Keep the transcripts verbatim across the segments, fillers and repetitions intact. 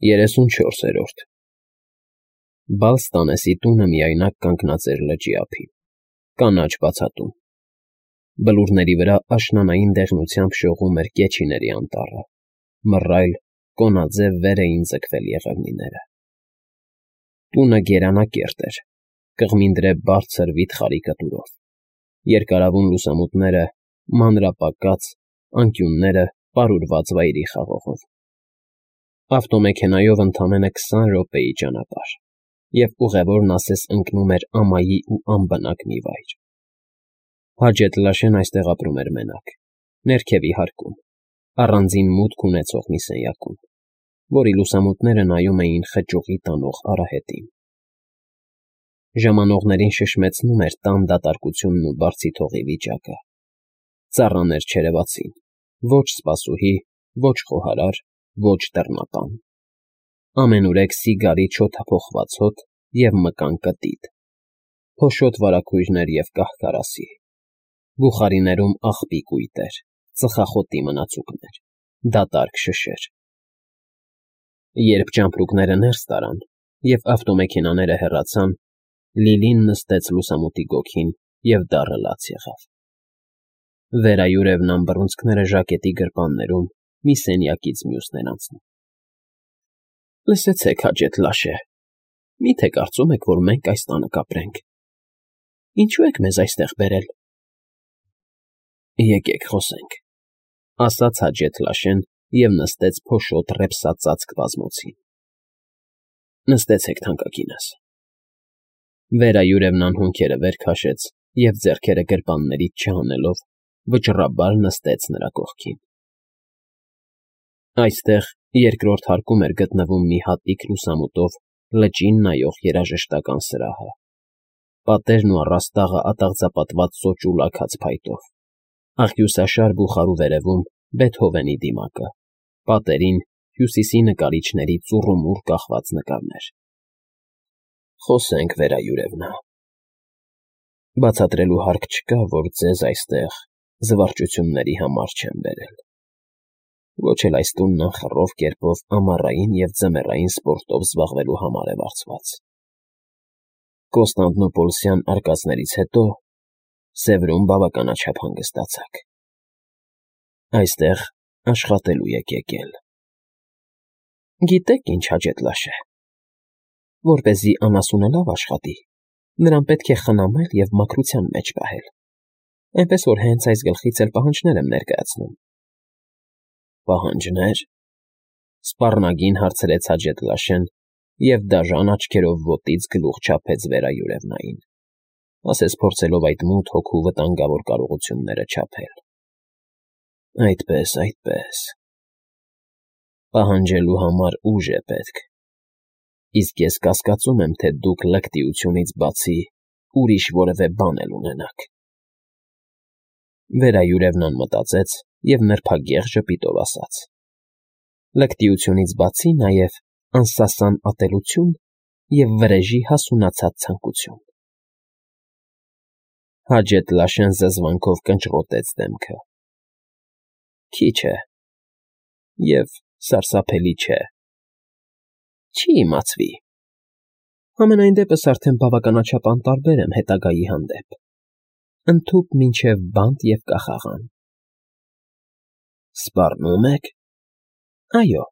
երեսունչորսերորդ Բալստանեսի տունը միայնակ կանգնած էր լճի ափին, կանաչ բացատում։ Բլուրների վրա աշնանային դեղնությամբ շողում էր կեչիների անտառը, մռայլ, կոնաձև վեր էին ձգվել եղևնիները։ Տունը գերանակերտ էր, կղմինդրե բարձր վիթխարի կտուրով, երկարավուն լուսամուտները մանրապակած, անկյունները պարուրված վայրի խաղողով։ Ավտոմեքենայով ընդամենը քսան րոպեի ճանապարհ, և ուղևորն ասես ընկնում էր ամայի ու անբնակ մի վայր։ Հաջեթլաշեն այստեղ ապրում էր մենակ, ներքևի հարկում, առանձին մուտք ունեցող մի սենյակում, որի լուսամուտները նայում էին խճուղի տանող արահետին։ Ժամանողներին շշմեցնում էր տան դատարկությունն ու բարձիթողի վիճակը։ Ծառաներ չերևացին, ոչ սպասուհի, ոչ խոհարար, ոչ դռնապան։ Ամենուրեք սիգարի չօդափոխված հոտ և մկան կտիտ, փոշոտ վարագույրներ և կահ֊կարասի, բուխարիներում աղբի կույտեր, ծխախոտի մնացուկներ, դատարկ շշեր։ Երբ ճամպրուկները ներս տարան և ավտոմեքենաները հեռացան, Լիլին նստեց լուսամուտի գոգին և դառը լաց եղավ։ Վերայուրևն ամբռունցքները ժակետի գրպաններում մի սենյակից մյուսն էր անցնում։ ֊ Լսեցեք, Հաջեթլաշե, մի՞թե կարծում եք, որ մենք այս տանը կապրենք։ Ինչո՞ւ եք մեզ այստեղ բերել։ ֊ Եկեք խոսենք, ֊ ասաց Հաջեթլաշեն և նստեց փոշոտ ռեպսածածկ բազմոցին։ ֊ Նստեցեք, թանկագինս։ Վերայուրևն անհոնքերը վեր քաշեց և, ձեռքերը գրպաններից չհանելով, վճռաբար նստեց նրա կողքին։ Այստեղ երկրորդ հարկում էր գտնվում մի հատիկ լուսամուտով լճին նայող երաժշտական սրահը, պատերն ու առաստաղը ատաղձապատված սոճու լաքած փայտով, աղյուսաշար բուխարու վերևում Բեթհովենի դիմակը, պատերին Հյուսիսի նկարիչների ծուռումուռ կախված նկարներ։ Խոսենք, Վերայուրևնա, բացատրելու հարկ չկա, որ ձեզ այստեղ զվարճությունների համար չեմ բերել, ոչ էլ այս տունն անխռով կերպով ամառային և ձմեռային սպորտով զբաղվելու համար է վարձված։ Կոստանդնուպոլսյան արկածներից հետո Սևրում բավականաչափ հանգստացաք։ Այստեղ աշխատելու եք եկել։ Գիտե՞ք ինչ, Հաջեթլաշե, որպեսզի անասունը լավ աշխատի, նրան պետք է խնամել և մաքրության մեջ պահել, այնպես որ հենց այս գլխից էլ պահանջներ եմ ներկայացնում։ ֊ Պահանջնե՞ր,֊ սպառնագին հարցրեց Հաջեթլաշեն և դաժան աչքերով ոտից գլուխ չափեց Վերայուրևնային, ասես փորձելով այդ մութ հոգու վտանգավոր կարողությունները չափել։ ֊ Այդպես, այդպես… Պահանջելու համար ուժ է պետք, իսկ ես կասկածում եմ, թե դուք լկտիությունից բացի ուրիշ որևէ բան էլ ունենաք։ Վերայուրևն անմտածեց և նրբագեղ ժպիտով ասաց. ֊ Լկտիությունից բացի նաև անսասան ատելություն և վրեժի հասունացած ցանկություն… Հաջեթլաշեն զզվանքով կնճռոտեց դեմքը։ ֊ Քիչ է… և սարսափելի չէ… Չի իմացվի… Համենայն դեպս արդեն բավականաչափ անտարբեր եմ հետագայի հանդեպ, ընդհուպ մինչև բանտ և կախաղան։ ֊ Սպառնո՞ւմ եք։ ֊ Այո,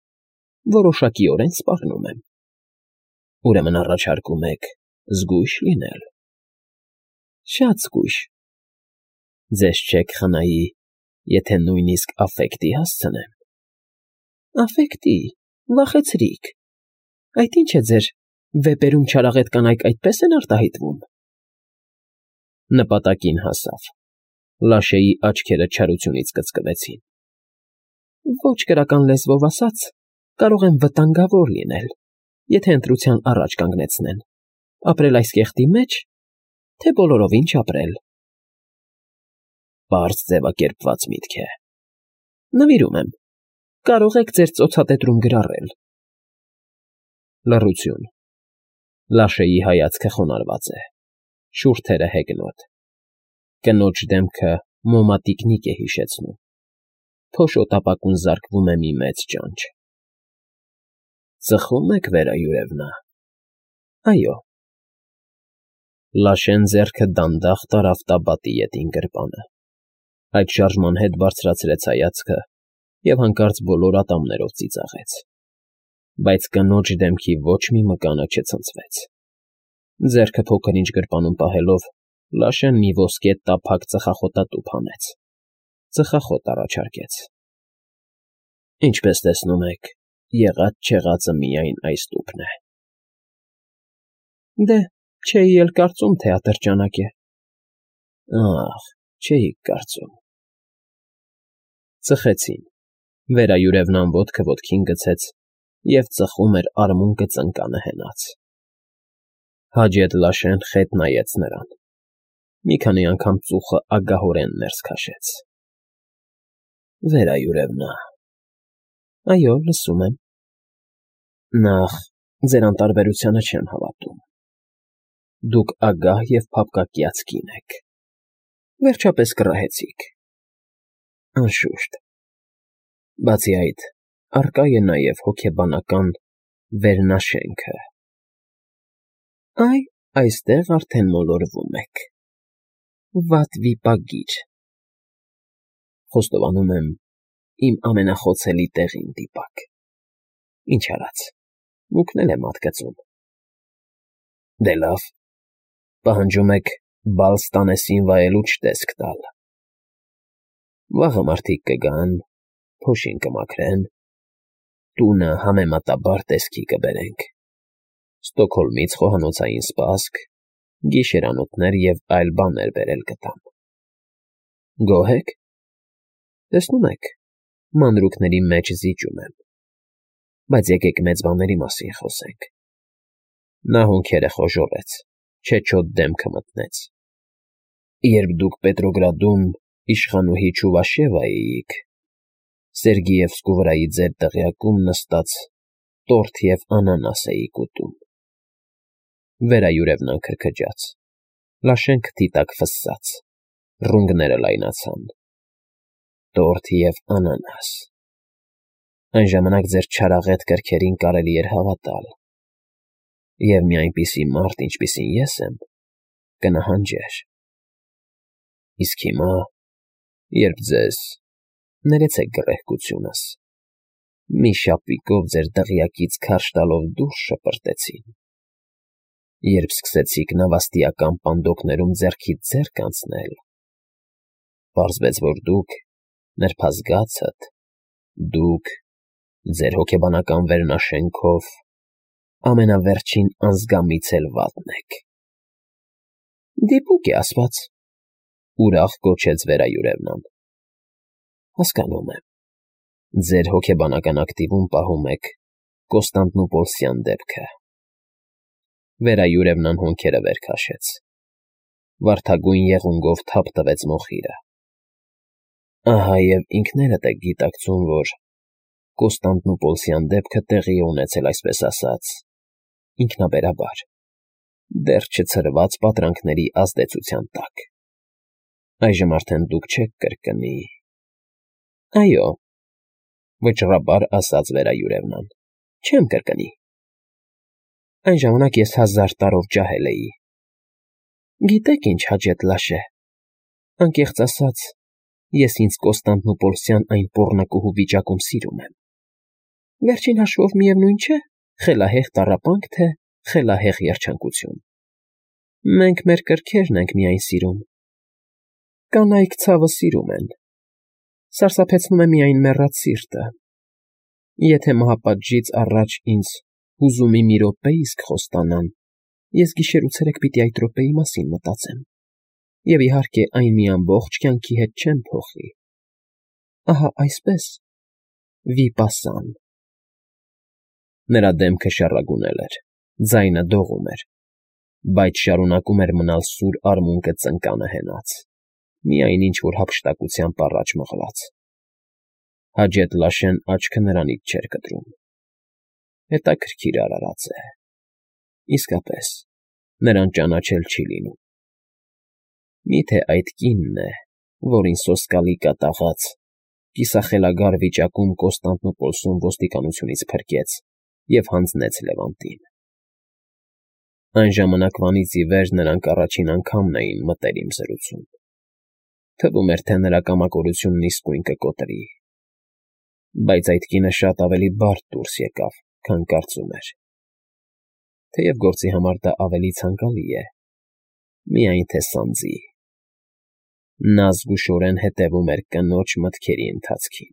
որոշակիորեն սպառնում եմ։ ֊ Ուրեմն առաջարկում եք զգույշ լինել։ ֊ Շատ զգույշ։ ֊ Ձեզ չեք խնայի, եթե նույնիսկ աֆեկտի հասցնեմ։ ֊ Աֆեկտի… Վախեցրիք… Այդ ի՞նչ է ձեր վեպերում չարաղետ կանայք այդպե՞ս են արտահայտվում։ Նպատակին հասավ… Լաշեի աչքերը չարությունից կծկվեցին։ ֊ Ոչ կրական լեզվով ասած, կարող եմ վտանգավոր լինել, եթե ընտրության առաջ կանգնեցնեն՝ ապրել այս կեղտի մեջ, թե բոլորովին չապրել։ ֊ Պարզ ձևակերպված միտք է։ ֊ Նվիրում եմ, կարող եք ձեր ծոցատետրում գրառել։ Լռություն… Լաշեի հայացքը խոնարհված է, շուրթերը հեգնոտ, կնոջ դեմքը մոմատիկնիկ է հիշեցնում, փոշոտ ապակուն զարկվում է մի մեծ ճանճ։ Ծխում եք վերայուրևնա։ Այո։ Լաշեն ձեռքը դանդաղ տարավ տաբատի ետին գրպանը, այդ շարժման հետ բարձրացրեց հայացքը և հանկարծ բոլոր ատամներով ծիծաղեց, բայց կնոջ դեմքի ոչ մի մկանը չցնցվեց։ Ձեռքը փոքր-ինչ գրպանում պահելով, Լաշեն մի ոսկե տափակ ծխախոտատուփ հանեց, ծխախոտ առաջարկեց։ Ինչպես տեսնում եք, եղած֊չեղածը միայն այս տուփն է։ Դե, չէի էլ կարծում, թե ատրճանակ է։ Ախ, չէիք կարծում։ Ծխեցին, վերայուրևնան ոտքը ոտքին գցեց և ծխում էր արմունկը ծնկանը հենած։ Հաջետ Լաշեն խետ նայեց նրան, մի քանի անգամ ծուխը ագահորեն ներս քաշեց։ Վերայուրևնա։ Այո, լսում եմ։ Նախ, ձեր անտարբերությանը չեմ հավատում։ Դուք ագահ և փափկակյաց կին եք, վերջապես կռահեցիք։ Անշուշտ։ Բացի այդ, առկա է նաև հոգեբանական վերնաշենքը։ Այ, այստեղ արդեն մոլորվում եք։ Վատ վիպագիր։ Խոստովանում եմ, իմ ամենախոցելի տեղին դիպակ։ Ինչ արած, մուկն էլ է մատկծում։ Դե լավ, պահանջում եք բալ ստանեսին վայելուչ տեսք տալ։ Վաղը մարդիկ կգան, փոշին կմաքրեն, տունը համեմատաբար տեսքի կբերենք, Ստոկհոլմից խոհանոցային սպասք, գիշերանոթներ և այլ բաներ բերել կտամ։ Գոհ եք։ Տեսնում եք, մանրուքների մեջ զիջում եմ, բայց եկեք մեծ բաների մասին խոսենք։ Նա հոնքերը խոժոռեց, չեչոտ դեմքը մտնեց։ Երբ դուք Պետրոգրադում իշխանուհի Չուվաշևայիիք, Սերգիևսկու վրայի ձեր դղյակում նստած տորթ և անանաս էիք ուտում։ Վերայուրևնան քրքջաց, Լաշեն քթի տակ ֆսսաց, ռունգները լայնացան։ Տորթ և անանաս։ Այն ժամանակ ձեր չարաղետ կրքերին կարելի էր հավատալ, և մի այնպիսի մարդ, ինչպիսին ես եմ, կնահանջեր։ Իսկ հիմա, երբ ձեզ, ներեցեք գռեհկությունս, մի շապիկով ձեր դղյակից քարշ տալով դուրս շպրտեցին, երբ սկսեցիք նավաստիական պանդոկներում ձեռքից ձեռք անցնել, պարզվեց, որ դուք, նրբազգացդ, դուք, ձեր հոգեբանական վերնաշենքով, ամենավերջին անզգամից էլ վատն եք։ Դիպուկ է ասված, ուրախ գոչեց վերայուրևնան։ Հասկանում եմ, ձեր հոգեբանական ակտիվում պահում եք Կոստանդնուպոլսյան դեպքը։ Վերայուրևնան հոնքերը վեր քաշեց, վարդագույն եղունգով թափ տվեց մոխիրը։ Ահա և ինքներդ եք գիտակցում, որ Կոստանդնուպոլսյան դեպքը տեղի է ունեցել, այսպես ասած, ինքնաբերաբար, դեռ չցրված պատրանքների ազդեցության տակ։ Այժմ արդեն դուք չեք կրկնի։ Այո, վճռաբար ասաց վերայուրևնան, չեմ կրկնի։ Այն ժամանակ ես հազար տարով ջահել էի։ Գիտեք ինչ, Հաջետ Լաշե, անկեղծ ասած, ես ինձ Կոստանդնուպոլսյան այն պոռնկուհու վիճակում սիրում եմ։ Վերջին հաշվով միևնույն չէ, խելահեղ տառապանք, թե խելահեղ երջանկություն։ Մենք մեր կրքերն ենք միայն սիրում։ Կանայք ցավը սիրում են։ Սարսափեցնում է միայն մեռած սիրտը։ Եթե մահապատժից առաջ ինձ հուզումի մի րոպե իսկ խոստանան, ես գիշերուցերեկ պիտի այդ րոպեի մասին մտածեմ, և իհարկե այն մի ամբողջ կյանքի հետ չեմ փոխի։ Ահա այսպես, վիպասան։ Նրա դեմքը շառագունել էր, ձայնը դողում էր, բայց շարունակում էր մնալ սուր արմունկը ծնկանը հենած, միայն ինչ֊որ հափշտակությամբ առաջ մղված։ Հաջետ Լաշեն աչքը նրանից չէր կտրում։ Հետաքրքիր արարած է։ Իսկապես, նրան ճանաչել չի լինում։ Մի՞թե այդ կինն է, որին սոսկալի կատաղած, կիսախելագար վիճակում Կոստանդնուպոլսում ոստիկանությունից փրկեց և հանձնեց Լևոնտին։ Այն ժամանակվանից ի վեր նրանք առաջին անգամն էին մտել իմ զրուցում։ Թվում էր, թե նրա կամակորությունն իսկույն կկոտրի, բայց այդ կինը շատ ավելի բարդ դուրս եկավ, քան կարծում էր, թեև գործի համար դա ավելի ցանկալի է, միայն թե սանձի։ Նա զգուշորեն հետևում էր կնոջ մտքերի ընթացքին։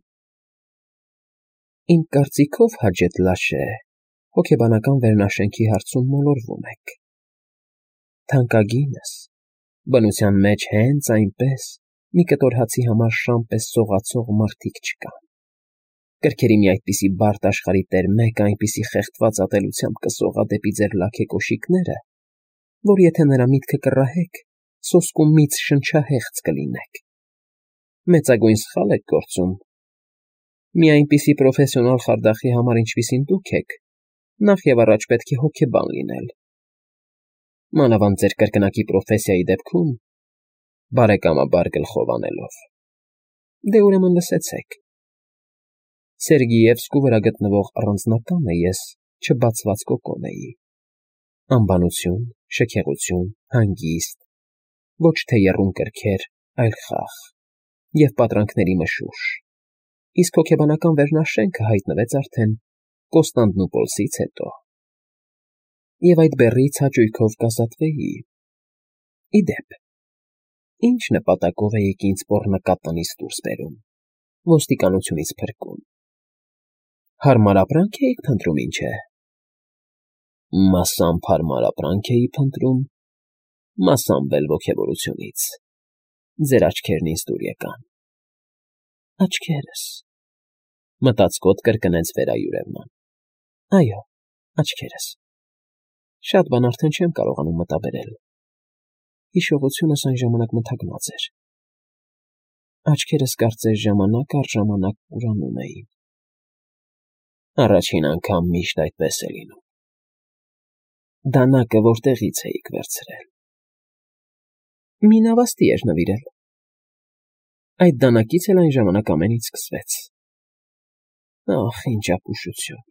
Իմ կարծիքով, Հաջեթ Լաշե, հոգեբանական վերնաշենքի հարցում մոլորվում եք։ Թանկագինս, բնության մեջ հենց այնպես մի կտոր հացի համար շան պես սողացող մարդիկ չկան։ Կրքերի մի այդպիսի բարդ աշխարհի տեր մեկը այնպիսի խեղդված ատելությամբ կսողա դեպի ձեր լաքեկոշիկները, որ եթե նրա միտքը կռահեք, սոսկու միծ շնչահեղձ կլինեք։ Մեծագույն սխալ եք գործում։ Մի այնպիսի պրոֆեսիոնալ խարդախի համար, ինչպիսին դուք եք, նախ և առաջ պետք է հոգեբան լինել։ Մանավանդ ձեր կրկնակի պրոֆեսիայի դեպքում, բարեկամաբար գլխով անելով։ Դե ուրեմն լսեցեք։ Սերգիևսկու վրա գտնվող առանձնատանը ես չբացված կոկոն էի։ Անբանություն, շքեղություն, հանգիստ, ոչ թե եռում կրքեր, այլ խաղ և պատրանքների մշուշ, իսկ հոգեբանական վերնաշենքը հայտնվեց արդեն Կոստանդնուպոլսից հետո։ Եվ այդ բեռից հաճույքով կազատվեի։ Ի դեպ, ինչ նպատակով էիք ինձ պոռնկատնից դուրս բերում, ոստիկանությունից փրկում։ Հարմար ապրանք էիք փնտրում, ինչ է։ Մասամբ հարմար ապրանք էի փնտրում, մասամբ էլ ոգևորությունից։ Ձեր աչքերն ինձ դուր եկան։ Աչքերս, մտածկոտ կրկնեց Վերայուրևնան։ Այո, աչքերս։ Շատ բան արդեն չեմ կարողանում մտաբերել։ Հիշողությունս այն ժամանակ մթագնած էր։ Աչքերս կարծես ժամանակ առ ժամանակ ուրանում էին։ Առաջին անգամ միշտ այդպես է լինում։ Դանակը որտեղից էիք վերցրել։ Մի նավաստի էր նվիրել։ Այդ դանակից էլ այն ժամանակ ամեն ինչ սկսվեց։ Ախ, ինչ ապուշություն։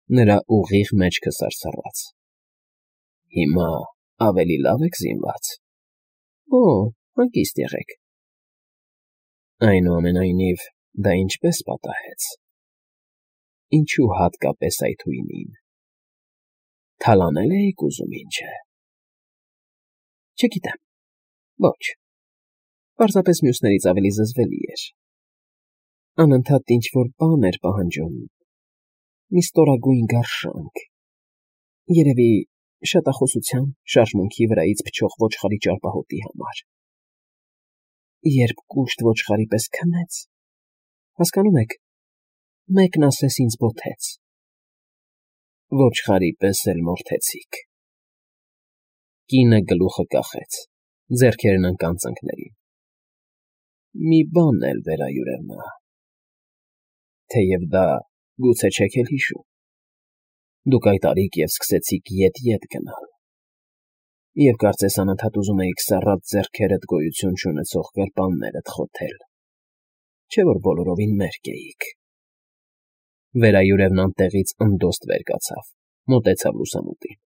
Նրա ուղիղ մեջքը սարսռաց։ Հիմա ավելի լավ եք զինված։ Օ, հանգիստ եղեք։ Այնուամենայնիվ, դա ինչպես պատահեց։ Ինչու հատկապես այդ հույնին։ Թալանել էիք ուզում, ինչ է։ Չգիտեմ։ Ոչ։ Պարզապես մյուսներից ավելի զզվելի էր։ Անընդհատ ինչ-որ բան էր պահանջում։ Մի ստորագույն գարշանք։ Երևի շատախոսության, շարժմունքի վրայից փչող ոչխարի ճարպահոտի համար։ Երբ կուշտ ոչխարի պես քնեց, հասկանում եք, մեկն ասես ինձ բոթեց։ Ոչխարի պես էլ մորթեցիք։ Կինը գլուխը կախեց, ձեռքերն ընկան ծնկներին։ Մի բան էլ, Վերայուրևնա, թեև դա գուցե չեք էլ հիշում։ Դուք այդ արիք և սկսեցիք ետ֊ետ գնալ։ Եվ կարծես անընդհատ ուզում էիք սառած ձեռքերդ գոյություն չունեցող գրպաններդ խոթել, չէ՞ որ բոլորովին մերկ էիք։ Վերայուրևնան տեղից ընդոստ վեր կացավ, մոտեցավ լուսամուտին։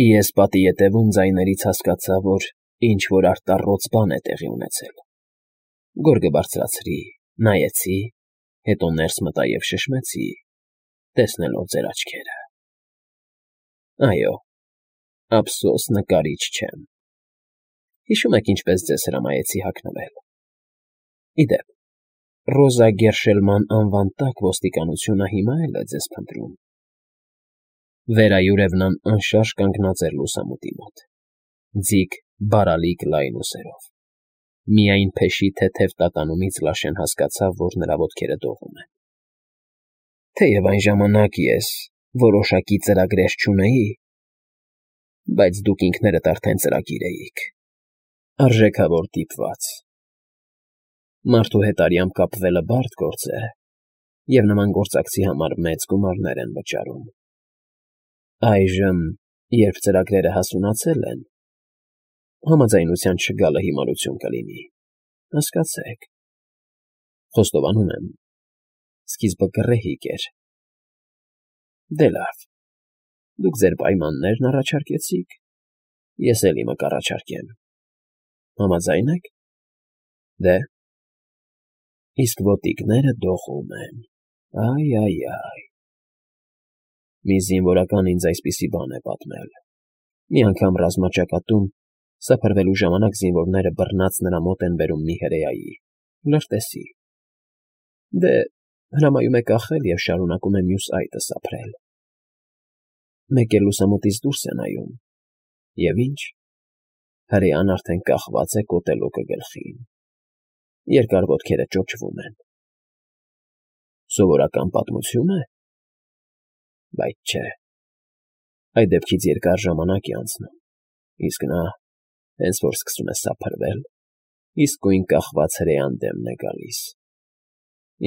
Ես պատի ետևում ձայներից հասկացա, որ ինչ֊որ արտառոց բան է տեղի ունեցել։ Գորգը բարձրացրի, նայեցի, հետո ներս մտա և շշմեցի, տեսնելով ձեր աչքերը։ Այո, ափսոս նկարիչ չեմ։ Հիշո՞ւմ եք ինչպես ձեզ հրամայեցի հագնվել։ Ի դեպ, Ռոզա Գերշելման անվան տակ ոստիկանությունը հիմա էլ է ձեզ փնտրում։ Վերայուրևնան անշարժ կանգնած էր լուսամուտի մոտ, ձիգ բարալիկ լայն ուսերով։ Միայն փեշի թեթև տատանումից Լաշեն հասկացավ, որ նրա ոտքերը դողում են։ Թեև այն ժամանակ ես որոշակի ծրագրեր չունեի, բայց դուք ինքներդ արդեն ծրագիր էիք։ Արժեքավոր դիպված։ Մարդու հետ արյամբ կապվելը բարդ գործ է, և նման գործակցի համար մեծ գումարներ են վճարում։ Այժմ, երբ ծրագրերը հասունացել են, համաձայնության չգալը հիմարություն կլինի, հասկացեք։ Խոստովանում եմ, սկիզբը գռեհիկ էր, Դե լավ, դուք ձեր պայմաններն առաջարկեցիք, ես էլ իմը կառաջարկեմ, համաձա՞յն եք։ Դե, իսկ ոտիկները դողում են, այ֊այ֊այ։ Մի զինվորական ինձ այսպիսի բան է պատմել. մի անգամ ռազմաճակատում սփռվելու ժամանակ զինվորները բռնած նրա մոտ են բերում մի հրեայի, լրտեսի։ Դե, հրամայում է կախել և շարունակում է մյուս այտը սափրել։ Մեկ էլ լուսամուտից դուրս է նայում, և ինչ, հրեան արդեն կախված է կոտելոկը գլխին, երկար ոտքերը ճոճվում են։ Սովորական պատմությո՞ւն է։ Բայց չէ, այդ դեպքից երկար ժամանակ է անցնում, իսկ նա, հենց որ սկսում է սափրվել, իսկույն կախված հրեան դեմն է գալիս,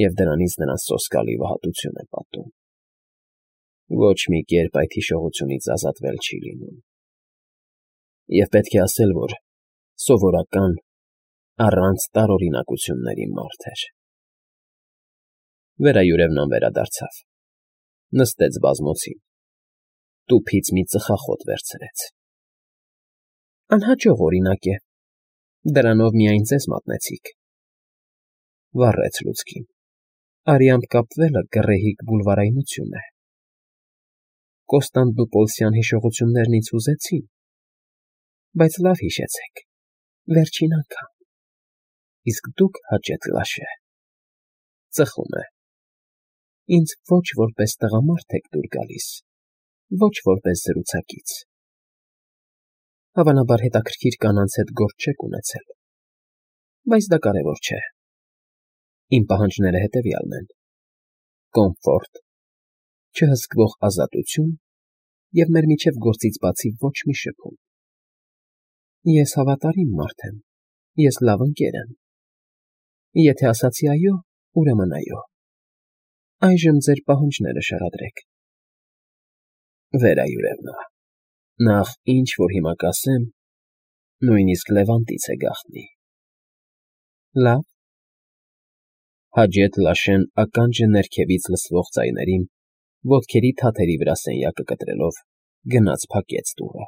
և դրանից նրան սոսկալի վհատություն է պատում։ Ոչ մի կերպ այդ հիշողությունից ազատվել չի լինում։ Եվ պետք է ասել, որ սովորական, առանց տարօրինակությունների մարդ էր։ Վերայուրևն անվերադարձավ, նստեց բազմոցին, տուփից մի ծխախոտ վերցրեց։ Անհաջող օրինակ է, դրանով միայն ձեզ մատնեցիք, վառեց լուցկին, արյամբ կապվելը գռեհիկ բուլվարայնություն է։ Կոստանդնուպոլսյան հիշողություններն ինձ հուզեցին, բայց լավ հիշեցեք, վերջին անգամ, իսկ դուք, Հաճետ Լաշե, ծխում է, ինձ ոչ որպես տղամարդ եք դուր գալիս, ոչ որպես զրուցակից։ Հավանաբար հետաքրքիր կանանց հետ գործ չեք ունեցել, բայց դա կարևոր չէ։ Իմ պահանջները հետևյալն են. կոմֆորտ, չհսկվող ազատություն և մեր միջև գործից բացի ոչ մի շփում։ Ես հավատարիմ մարդ եմ, ես լավ ընկեր եմ։ Եթե ասացի այո, ուրեմն այո։ Այժմ ձեր պահանջները շարադրեք։ Վերայուրևնա, նախ ինչ որ հիմա կասեմ, նույնիսկ Լևանտից է գաղտնի։ Լավ։ Հաճետ Լաշեն ականջը ներքևից լսվող ձայներին, ոտքերի թաթերի վրա սենյակը կտրելով, գնաց փակեց դուռը։